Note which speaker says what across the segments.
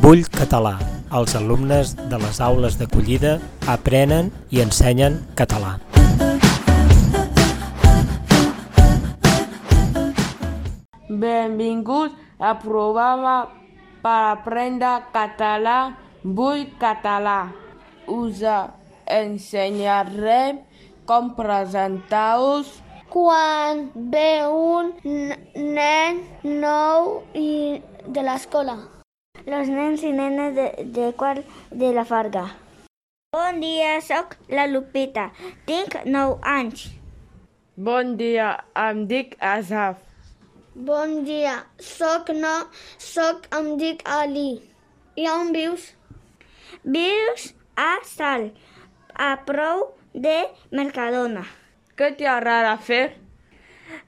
Speaker 1: Bull Català. Els alumnes de les aules d'acollida aprenen i ensenyen català.
Speaker 2: Benvinguts al programa per aprendre català Bull Català. Us ensenyarem com presentar-us
Speaker 3: quan ve un nen nou de l'escola. Los nens i nenes de quart de la Farga. Bon dia, soc la Lupita. Tinc 9 anys.
Speaker 2: Bon dia, em dic Asaf.
Speaker 3: Bon dia, em dic Ali. I on vius? Vius a Salt, a prop de Mercadona.
Speaker 2: Què t'agrada fer?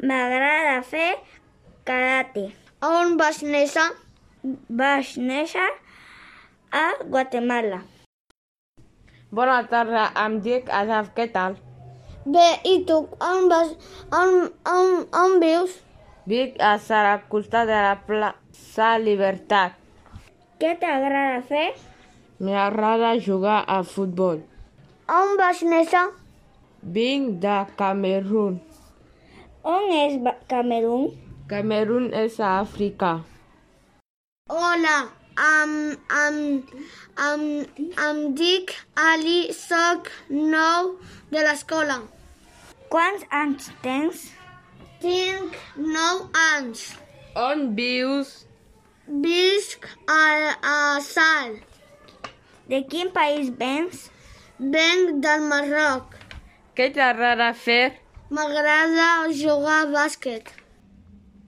Speaker 3: M'agrada fer karate. On vas néixer? Vaig néixer a Guatemala.
Speaker 2: Bona tarda, em dic Asaf, què tal?
Speaker 3: Bé, i tu? On vius?
Speaker 2: Vic a Salt, al costat de la plaça Libertat.
Speaker 3: Què t'agrada fer?
Speaker 2: M'agrada jugar a futbol.
Speaker 3: On vas néixer?
Speaker 2: Vinc de Camerun.
Speaker 3: On és Camerun?
Speaker 2: Camerun és a Àfrica.
Speaker 3: Hola, em dic Ali, soc nou de l'escola. Quants anys tens? Tinc 9 anys.
Speaker 2: On vius?
Speaker 3: Visc a Salt. De quin país vens? Venc del Marroc.
Speaker 2: Què t'agrada fer?
Speaker 3: M'agrada jugar a bàsquet.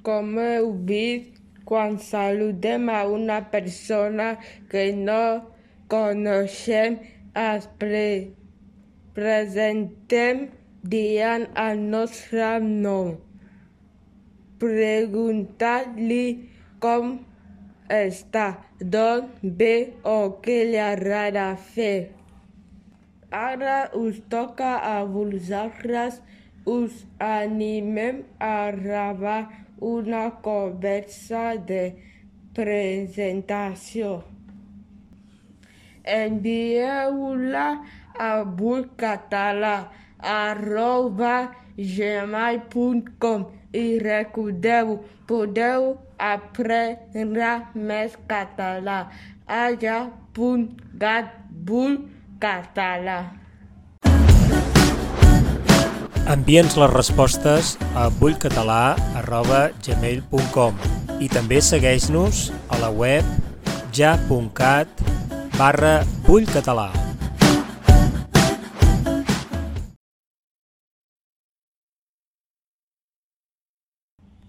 Speaker 2: Com heu vist, quan saludem a una persona que no coneixem, es presentem dient el nostre nom. Preguntar-li com està, d'on ve o què li agrada fer. Ara us toca a vosaltres. Us animem a gravar una conversa de presentació. Envieu-la a bullcatalà@gmail.com i recordeu, podeu aprendre més català a ja.cat/bullcatalà.
Speaker 1: Envia'ns les respostes a bullcatalà@gmail.com i també segueix-nos a la web ja.cat/bullcatalà.